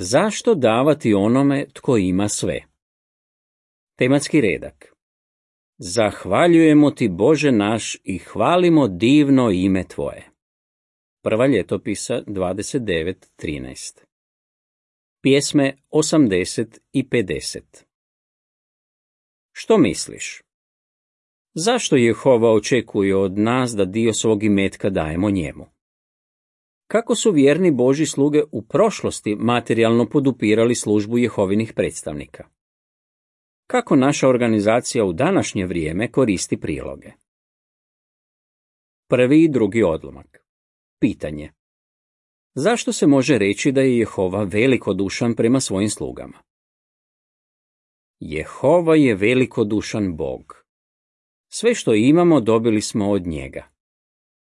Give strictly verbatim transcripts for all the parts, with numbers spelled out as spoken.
Zašto davati onome tko ima sve? Tematski redak. Zahvaljujemo ti, Bože naš, i hvalimo divno ime tvoje. Prva ljetopisa dvadeset devet trinaest. Pjesme osamdeset i pedeset. Što misliš? Zašto Jehova očekuje od nas da dio svog imetka dajemo njemu? Kako su vjerni Božji sluge u prošlosti materijalno podupirali službu Jehovinih predstavnika? Kako naša organizacija u današnje vrijeme koristi priloge? Prvi i drugi odlomak. Pitanje. Zašto se može reći da je Jehova velikodušan prema svojim slugama? Jehova je velikodušan Bog. Sve što imamo dobili smo od njega.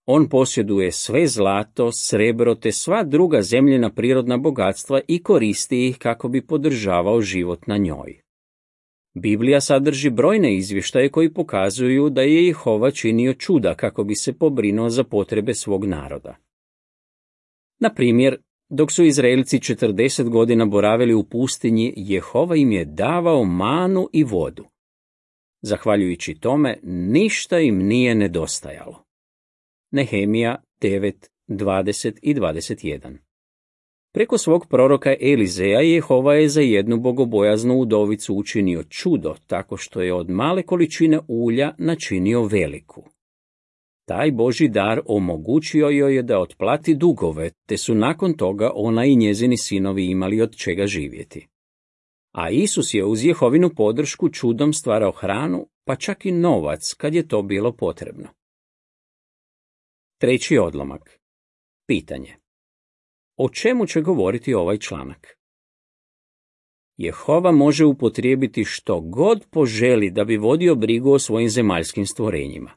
On posjeduje sve zlato, srebro te sva druga zemljina prirodna bogatstva i koristi ih kako bi podržavao život na njoj. Biblija sadrži brojne izvještaje koji pokazuju da je Jehova činio čuda kako bi se pobrinuo za potrebe svog naroda. Na primjer, dok su Izraelci četrdeset godina boravili u pustinji, Jehova im je davao manu i vodu. Zahvaljujući tome, ništa im nije nedostajalo. Nehemija devet, dvadeset i dvadeset jedan. Preko svog proroka Elizeja Jehova je za jednu bogobojaznu udovicu učinio čudo tako što je od male količine ulja načinio veliku. Taj Božji dar omogućio joj je da otplati dugove, te su nakon toga ona i njezini sinovi imali od čega živjeti. A Isus je uz Jehovinu podršku čudom stvarao hranu, pa čak i novac kad je to bilo potrebno. Treći odlomak. Pitanje. O čemu će govoriti ovaj članak? Jehova može upotrijebiti što god poželi da bi vodio brigu o svojim zemaljskim stvorenjima.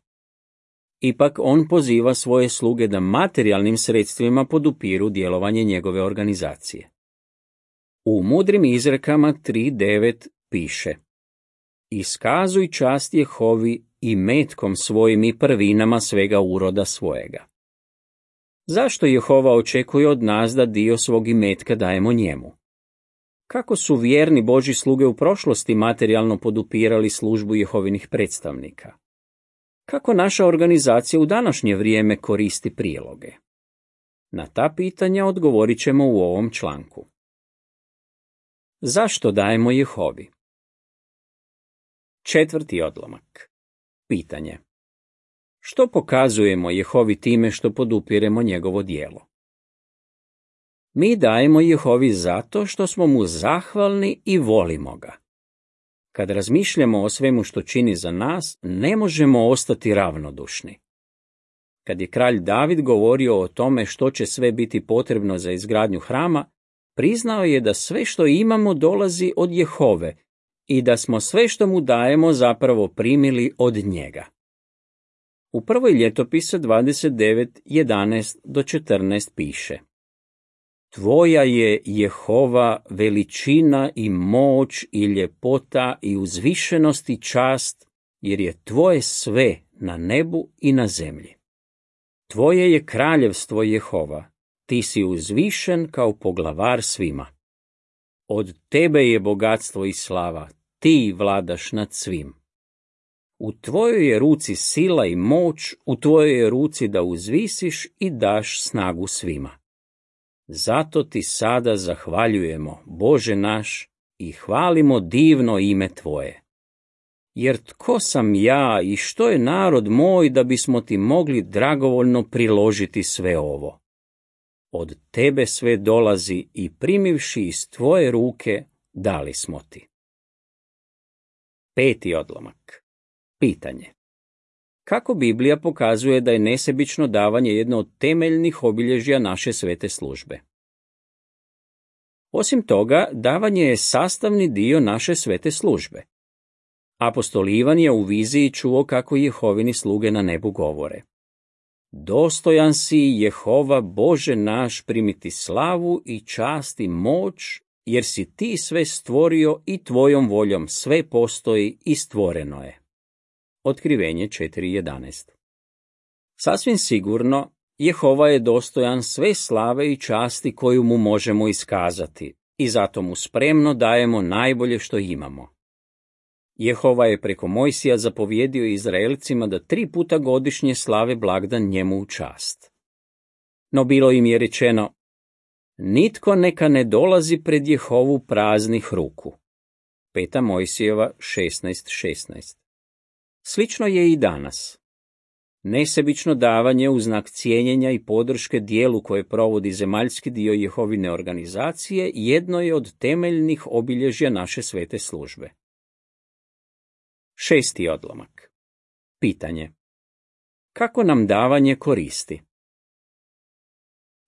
Ipak on poziva svoje sluge da materijalnim sredstvima podupiru djelovanje njegove organizacije. U mudrim izrekama tri devet piše: Iskazuj čast Jehovi i metkom svojim i prvinama svega uroda svojega. Zašto Jehova očekuje od nas da dio svog imetka dajemo njemu? Kako su vjerni Božji sluge u prošlosti materijalno podupirali službu Jehovinih predstavnika? Kako naša organizacija u današnje vrijeme koristi priloge? Na ta pitanja odgovorit ćemo u ovom članku. Zašto dajemo Jehovi? Četvrti odlomak. Pitanje. Što pokazujemo Jehovi time što podupiremo njegovo djelo? Mi dajemo Jehovi zato što smo mu zahvalni i volimo ga. Kad razmišljamo o svemu što čini za nas, ne možemo ostati ravnodušni. Kad je kralj David govorio o tome što će sve biti potrebno za izgradnju hrama, priznao je da sve što imamo dolazi od Jehove i da smo sve što mu dajemo zapravo primili od njega. U prvoj ljetopisa dvadeset devet, jedanaest do četrnaest piše: Tvoja je, Jehova, veličina i moć i ljepota i uzvišenost i čast, jer je tvoje sve na nebu i na zemlji. Tvoje je kraljevstvo, Jehova, ti si uzvišen kao poglavar svima. Od tebe je bogatstvo i slava, ti vladaš nad svim. U tvojoj je ruci sila i moć, u tvojoj je ruci da uzvisiš i daš snagu svima. Zato ti sada zahvaljujemo, Bože naš, i hvalimo divno ime tvoje. Jer tko sam ja i što je narod moj da bismo ti mogli dragovoljno priložiti sve ovo? Od tebe sve dolazi i primivši iz tvoje ruke dali smo ti. Peti odlomak. Pitanje. Kako Biblija pokazuje da je nesebično davanje jedno od temeljnih obilježja naše svete službe? Osim toga, davanje je sastavni dio naše svete službe. Apostol Ivan je u viziji čuo kako Jehovini sluge na nebu govore: Dostojan si, Jehova, Bože naš, primiti slavu i čast i moć, jer si ti sve stvorio i tvojom voljom sve postoji i stvoreno je. Otkrivenje četiri jedanaest. Sasvim sigurno, Jehova je dostojan sve slave i časti koju mu možemo iskazati, i zato mu spremno dajemo najbolje što imamo. Jehova je preko Mojsija zapovjedio Izraelcima da tri puta godišnje slave blagdan njemu u čast. No bilo im je rečeno: nitko neka ne dolazi pred Jehovu praznih ruku. Peta Mojsijeva šesnaest šesnaest. Slično je i danas. Nesebično davanje u znak cijenjenja i podrške dijelu koje provodi zemaljski dio Jehovine organizacije jedno je od temeljnih obilježja naše svete službe. Šesti odlomak. Pitanje. Kako nam davanje koristi?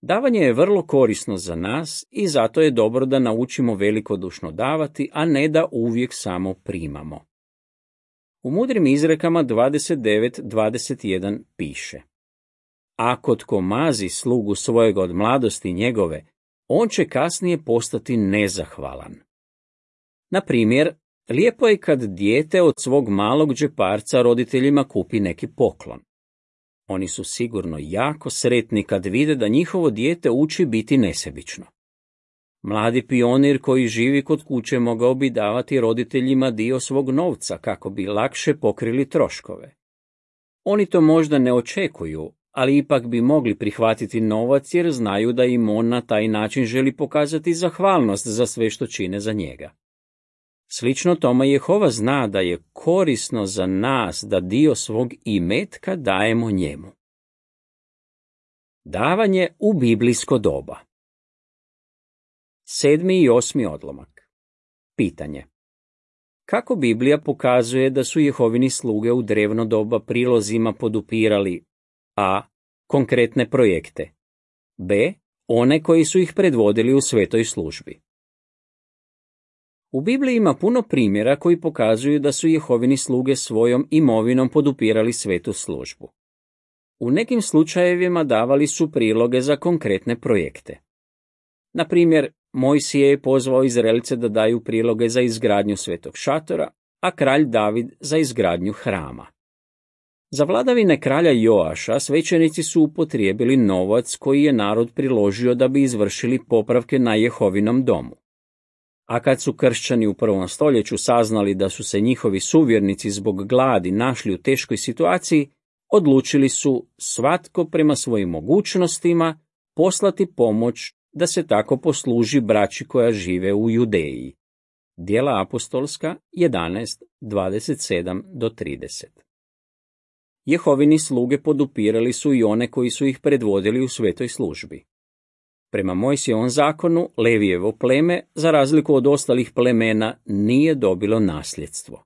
Davanje je vrlo korisno za nas i zato je dobro da naučimo velikodušno davati, a ne da uvijek samo primamo. U mudrim izrekama dvadeset devet dvadeset jedan piše: ako tko mazi slugu svojega od mladosti njegove, on će kasnije postati nezahvalan. Na primjer, lijepo je kad dijete od svog malog džeparca roditeljima kupi neki poklon. Oni su sigurno jako sretni kad vide da njihovo dijete uči biti nesebično. Mladi pionir koji živi kod kuće mogao bi davati roditeljima dio svog novca kako bi lakše pokrili troškove. Oni to možda ne očekuju, ali ipak bi mogli prihvatiti novac jer znaju da im on na taj način želi pokazati zahvalnost za sve što čine za njega. Slično tome Jehova zna da je korisno za nas da dio svog imetka dajemo njemu. Davanje u biblijsko doba. Sedmi i osmi odlomak. Pitanje. Kako Biblija pokazuje da su Jehovini sluge u drevno doba prilozima podupirali a. konkretne projekte, b. one koji su ih predvodili u svetoj službi? U Bibliji ima puno primjera koji pokazuju da su Jehovini sluge svojom imovinom podupirali svetu službu. U nekim slučajevima davali su priloge za konkretne projekte. Na primjer, Mojsije je pozvao Izraelce da daju priloge za izgradnju svetog šatora, a kralj David za izgradnju hrama. Za vladavine kralja Joaša svećenici su upotrijebili novac koji je narod priložio da bi izvršili popravke na Jehovinom domu. A kad su kršćani u prvom stoljeću saznali da su se njihovi suvjernici zbog gladi našli u teškoj situaciji, odlučili su svatko prema svojim mogućnostima poslati pomoć da se tako posluži braći koja žive u Judeji. Djela apostolska jedanaest dvadeset sedam do trideset. Jehovini sluge podupirali su i one koji su ih predvodili u svetoj službi. Prema Mojsijevom zakonu, Levijevo pleme, za razliku od ostalih plemena, nije dobilo nasljedstvo.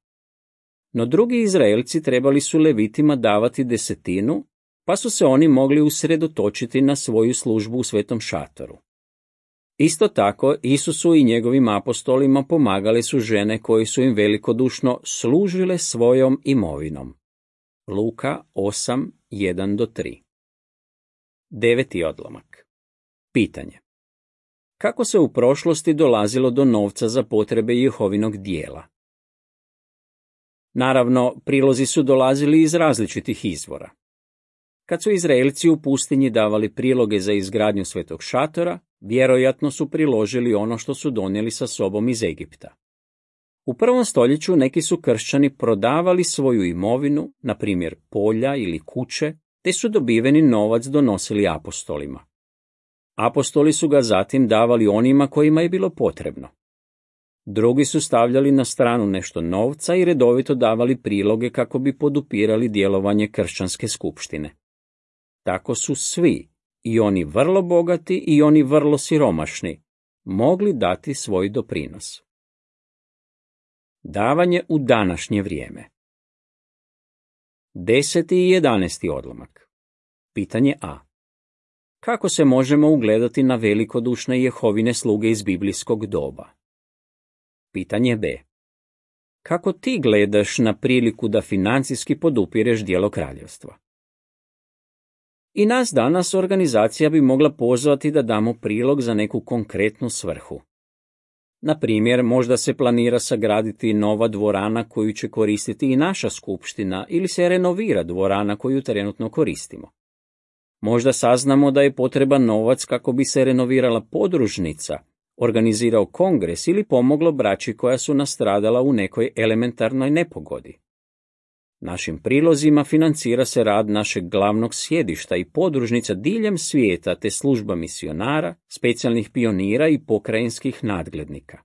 No drugi Izraelci trebali su Levitima davati desetinu, pa su se oni mogli usredotočiti na svoju službu u svetom šatoru. Isto tako, Isusu i njegovim apostolima pomagale su žene koje su im velikodušno služile svojom imovinom. Luka osam jedan do tri. Deveti odlomak. Pitanje. Kako se u prošlosti dolazilo do novca za potrebe Jehovinog dijela? Naravno, prilozi su dolazili iz različitih izvora. Kad su Izraelci u pustinji davali priloge za izgradnju svetog šatora, vjerojatno su priložili ono što su donijeli sa sobom iz Egipta. U prvom stoljeću neki su kršćani prodavali svoju imovinu, na primjer polja ili kuće, te su dobiveni novac donosili apostolima. Apostoli su ga zatim davali onima kojima je bilo potrebno. Drugi su stavljali na stranu nešto novca i redovito davali priloge kako bi podupirali djelovanje kršćanske skupštine. Tako su svi, i oni vrlo bogati i oni vrlo siromašni, mogli dati svoj doprinos. Davanje u današnje vrijeme. Deseti i jedanaesti odlomak. Pitanje A. Kako se možemo ugledati na velikodušne Jehovine sluge iz biblijskog doba? Pitanje B. Kako ti gledaš na priliku da financijski podupireš djelo kraljevstva? I nas danas organizacija bi mogla pozvati da damo prilog za neku konkretnu svrhu. Na primjer, možda se planira sagraditi nova dvorana koju će koristiti i naša skupština ili se renovira dvorana koju trenutno koristimo. Možda saznamo da je potreban novac kako bi se renovirala podružnica, organizirao kongres ili pomoglo braći koja su nastradala u nekoj elementarnoj nepogodi. Našim prilozima financira se rad našeg glavnog sjedišta i podružnica diljem svijeta te služba misionara, specijalnih pionira i pokrajinskih nadglednika.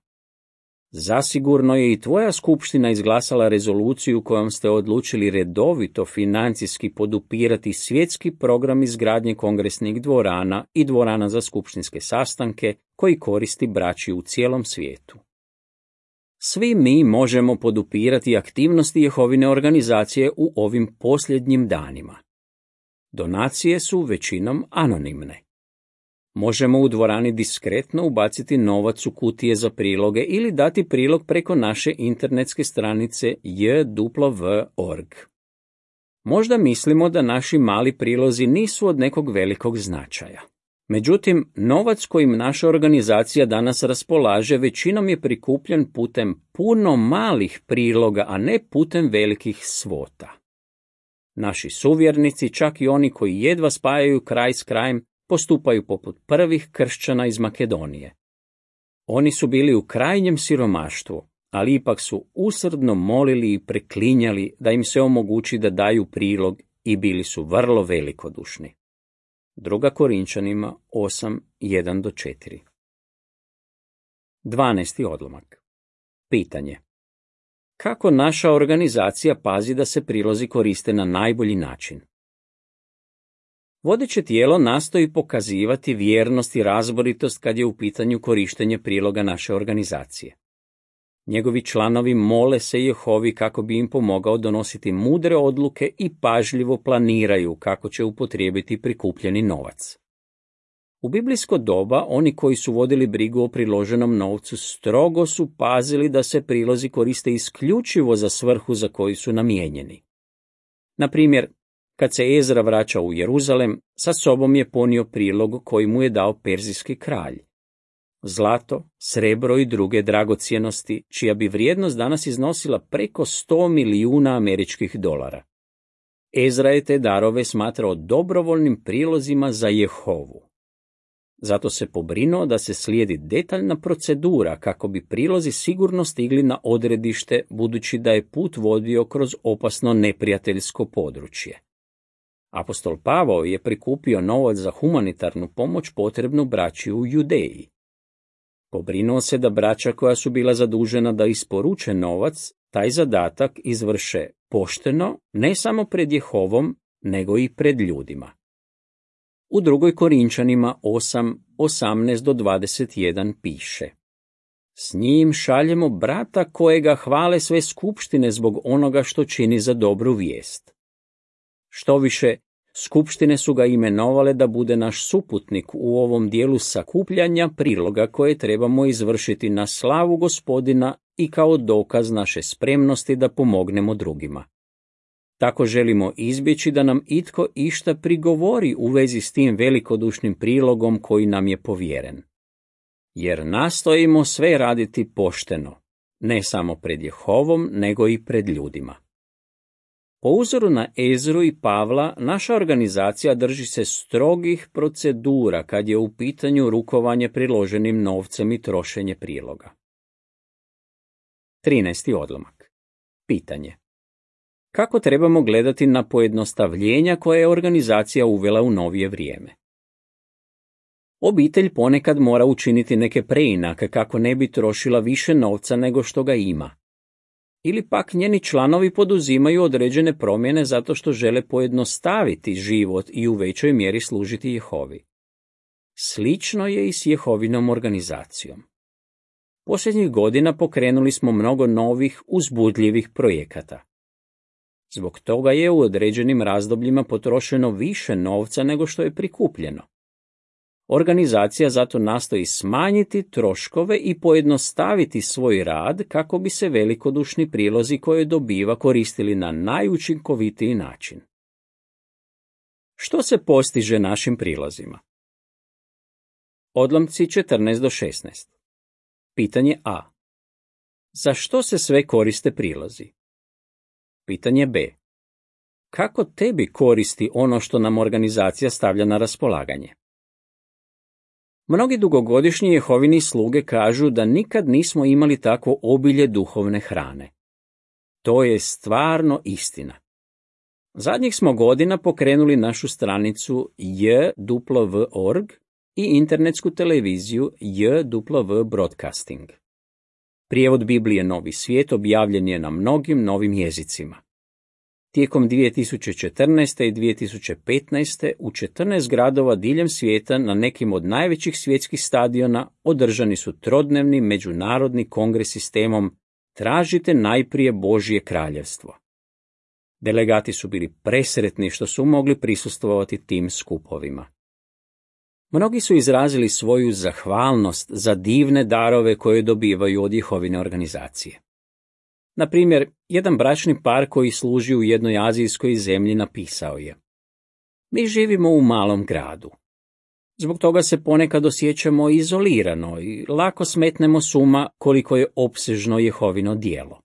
Zasigurno je i tvoja skupština izglasala rezoluciju kojom ste odlučili redovito financijski podupirati svjetski program izgradnje kongresnih dvorana i dvorana za skupštinske sastanke koji koristi braći u cijelom svijetu. Svi mi možemo podupirati aktivnosti Jehovine organizacije u ovim posljednjim danima. Donacije su većinom anonimne. Možemo u dvorani diskretno ubaciti novac u kutije za priloge ili dati prilog preko naše internetske stranice j w w dot org. Možda mislimo da naši mali prilozi nisu od nekog velikog značaja. Međutim, novac kojim naša organizacija danas raspolaže većinom je prikupljen putem puno malih priloga, a ne putem velikih svota. Naši suvjernici, čak i oni koji jedva spajaju kraj s krajem, postupaju poput prvih kršćana iz Makedonije. Oni su bili u krajnjem siromaštvu, ali ipak su usrdno molili i preklinjali da im se omogući da daju prilog i bili su vrlo velikodušni. Druga Korinčanima osam, jedan do četiri. Dvanaesti odlomak. Pitanje. Kako naša organizacija pazi da se prilozi koriste na najbolji način? Vodeće tijelo nastoji pokazivati vjernost i razboritost kad je u pitanju korištenje priloga naše organizacije. Njegovi članovi mole se Jehovi kako bi im pomogao donositi mudre odluke i pažljivo planiraju kako će upotrijebiti prikupljeni novac. U biblijsko doba oni koji su vodili brigu o priloženom novcu strogo su pazili da se prilozi koriste isključivo za svrhu za koju su namijenjeni. Na primjer, kad se Ezra vraća u Jeruzalem, sa sobom je ponio prilog koji mu je dao perzijski kralj. Zlato, srebro i druge dragocjenosti, čija bi vrijednost danas iznosila preko sto milijuna američkih dolara. Ezra je te darove smatrao dobrovoljnim prilozima za Jehovu. Zato se pobrinuo da se slijedi detaljna procedura kako bi prilozi sigurno stigli na odredište, budući da je put vodio kroz opasno neprijateljsko područje. Apostol Pavao je prikupio novac za humanitarnu pomoć potrebnu braći u Judeji. Pobrinuo se da braća koja su bila zadužena da isporuče novac, taj zadatak izvrše pošteno, ne samo pred Jehovom, nego i pred ljudima. U drugoj Korinčanima osam, osamnaest do dvadeset jedan piše: S njim šaljemo brata kojega hvale sve skupštine zbog onoga što čini za dobru vijest. Štoviše, skupštine su ga imenovale da bude naš suputnik u ovom dijelu sakupljanja priloga koje trebamo izvršiti na slavu Gospodina i kao dokaz naše spremnosti da pomognemo drugima. Tako želimo izbjeći da nam itko išta prigovori u vezi s tim velikodušnim prilogom koji nam je povjeren. Jer nastojimo sve raditi pošteno, ne samo pred Jehovom, nego i pred ljudima. Po uzoru na Ezru i Pavla, naša organizacija drži se strogih procedura kad je u pitanju rukovanje priloženim novcem i trošenje priloga. trinaesti odlomak. Pitanje. Kako trebamo gledati na pojednostavljenja koje je organizacija uvela u novije vrijeme? Obitelj ponekad mora učiniti neke preinake kako ne bi trošila više novca nego što ga ima. Ili pak njeni članovi poduzimaju određene promjene zato što žele pojednostaviti život i u većoj mjeri služiti Jehovi. Slično je i s Jehovinom organizacijom. Posljednjih godina pokrenuli smo mnogo novih, uzbudljivih projekata. Zbog toga je u određenim razdobljima potrošeno više novca nego što je prikupljeno. Organizacija zato nastoji smanjiti troškove i pojednostaviti svoj rad kako bi se velikodušni prilozi koje dobiva koristili na najučinkovitiji način. Što se postiže našim prilozima? Odlomci četrnaest do šesnaest. Pitanje A. Za što se sve koriste prilozi? Pitanje B. Kako tebi koristi ono što nam organizacija stavlja na raspolaganje? Mnogi dugogodišnji Jehovini sluge kažu da nikad nismo imali takvo obilje duhovne hrane. To je stvarno istina. Zadnjih smo godina pokrenuli našu stranicu j w w dot org i internetsku televiziju j w w dot broadcasting. Prijevod Biblije Novi svijet objavljen je na mnogim novim jezicima. Tijekom dvije tisuće četrnaeste. i dvije tisuće petnaeste. u četrnaest gradova diljem svijeta na nekim od najvećih svjetskih stadiona održani su trodnevni međunarodni kongresi s temom Tražite najprije Božje kraljevstvo. Delegati su bili presretni što su mogli prisustvovati tim skupovima. Mnogi su izrazili svoju zahvalnost za divne darove koje dobivaju od Jehovine organizacije. Na primjer, jedan bračni par koji služi u jednoj azijskoj zemlji napisao je: Mi živimo u malom gradu. Zbog toga se ponekad osjećamo izolirano i lako smetnemo s uma koliko je opsežno Jehovino djelo.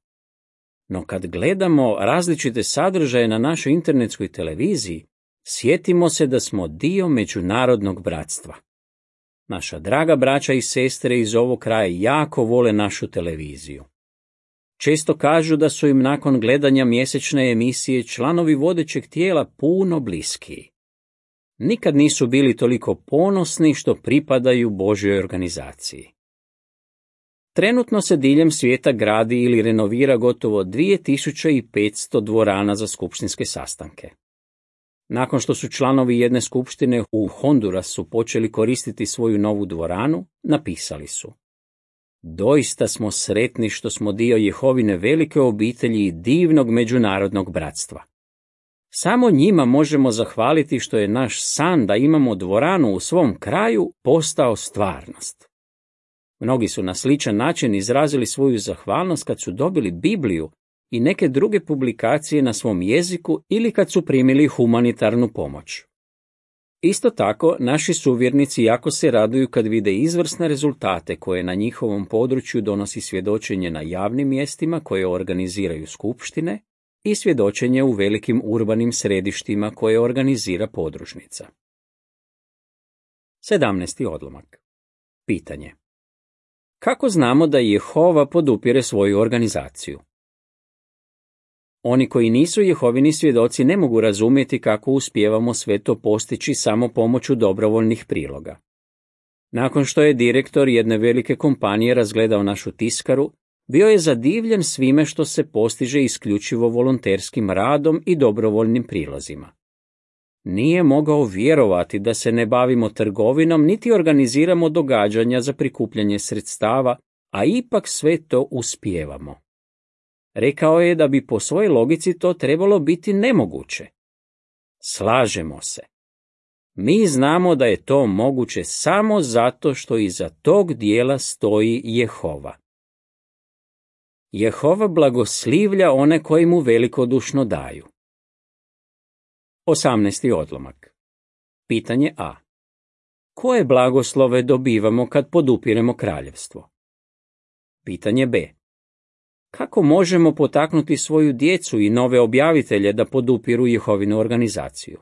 No kad gledamo različite sadržaje na našoj internetskoj televiziji, sjetimo se da smo dio međunarodnog bratstva. Naša draga braća i sestre iz ovog kraja jako vole našu televiziju. Često kažu da su im nakon gledanja mjesečne emisije članovi vodećeg tijela puno bliskiji. Nikad nisu bili toliko ponosni što pripadaju Božjoj organizaciji. Trenutno se diljem svijeta gradi ili renovira gotovo dvije tisuće petsto dvorana za skupštinske sastanke. Nakon što su članovi jedne skupštine u Hondurasu počeli koristiti svoju novu dvoranu, napisali su: Doista smo sretni što smo dio Jehovine velike obitelji i divnog međunarodnog bratstva. Samo njima možemo zahvaliti što je naš san da imamo dvoranu u svom kraju postao stvarnost. Mnogi su na sličan način izrazili svoju zahvalnost kad su dobili Bibliju i neke druge publikacije na svom jeziku ili kad su primili humanitarnu pomoć. Isto tako, naši suvjernici jako se raduju kad vide izvrsne rezultate koje na njihovom području donosi svjedočenje na javnim mjestima koje organiziraju skupštine i svjedočenje u velikim urbanim središtima koje organizira podružnica. sedamnaesti odlomak. Pitanje: Kako znamo da Jehova podupire svoju organizaciju? Oni koji nisu Jehovini svjedoci ne mogu razumjeti kako uspijevamo sve to postići samo pomoću dobrovoljnih priloga. Nakon što je direktor jedne velike kompanije razgledao našu tiskaru, bio je zadivljen svime što se postiže isključivo volonterskim radom i dobrovoljnim prilozima. Nije mogao vjerovati da se ne bavimo trgovinom niti organiziramo događanja za prikupljanje sredstava, a ipak sve to uspijevamo. Rekao je da bi po svojoj logici to trebalo biti nemoguće. Slažemo se. Mi znamo da je to moguće samo zato što iza tog dijela stoji Jehova. Jehova blagoslivlja one koji mu velikodušno daju. osamnaesti odlomak. Pitanje A. Koje blagoslove dobivamo kad podupiremo kraljevstvo? Pitanje B. Kako možemo potaknuti svoju djecu i nove objavitelje da podupiru Jehovinu organizaciju?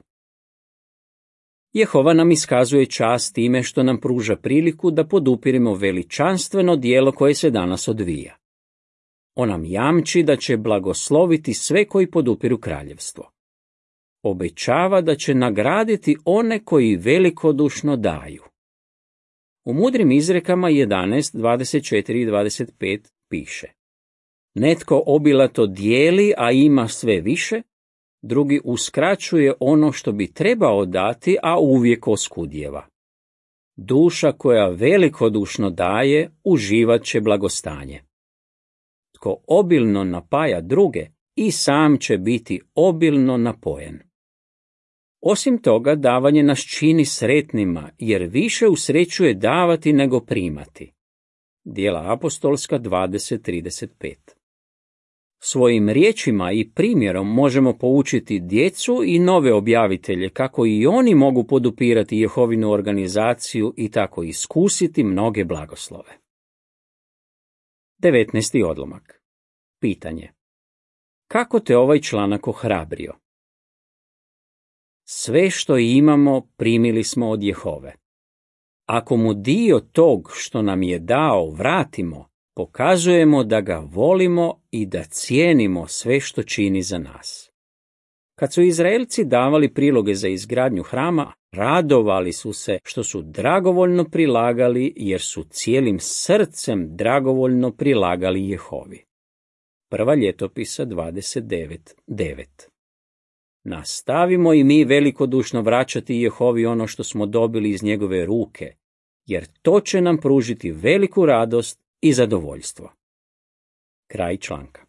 Jehova nam iskazuje čast time što nam pruža priliku da podupiremo veličanstveno djelo koje se danas odvija. On nam jamči da će blagosloviti sve koji podupiru kraljevstvo. Obećava da će nagraditi one koji velikodušno daju. U mudrim izrekama jedanaest, dvadeset četiri i dvadeset pet piše: Netko obilato dijeli, a ima sve više, drugi uskraćuje ono što bi trebao dati, a uvijek oskudjeva. Duša koja velikodušno daje, uživat će blagostanje. Tko obilno napaja druge, i sam će biti obilno napojen. Osim toga, davanje nas čini sretnima, jer više usrećuje davati nego primati. Djela apostolska dvadeset trideset pet. Svojim riječima i primjerom možemo poučiti djecu i nove objavitelje kako i oni mogu podupirati Jehovinu organizaciju i tako iskusiti mnoge blagoslove. devetnaesti odlomak. Pitanje: Kako te ovaj članak ohrabrio? Sve što imamo primili smo od Jehove. Ako mu dio tog što nam je dao vratimo, pokazujemo da ga volimo i da cijenimo sve što čini za nas. Kad su Izraelci davali priloge za izgradnju hrama, radovali su se što su dragovoljno prilagali, jer su cijelim srcem dragovoljno prilagali Jehovi. Prva ljetopisa dvadeset devet devet. Nastavimo i mi velikodušno vraćati Jehovi ono što smo dobili iz njegove ruke, jer to će nam pružiti veliku radost i zadovoljstvo. Kraj članka.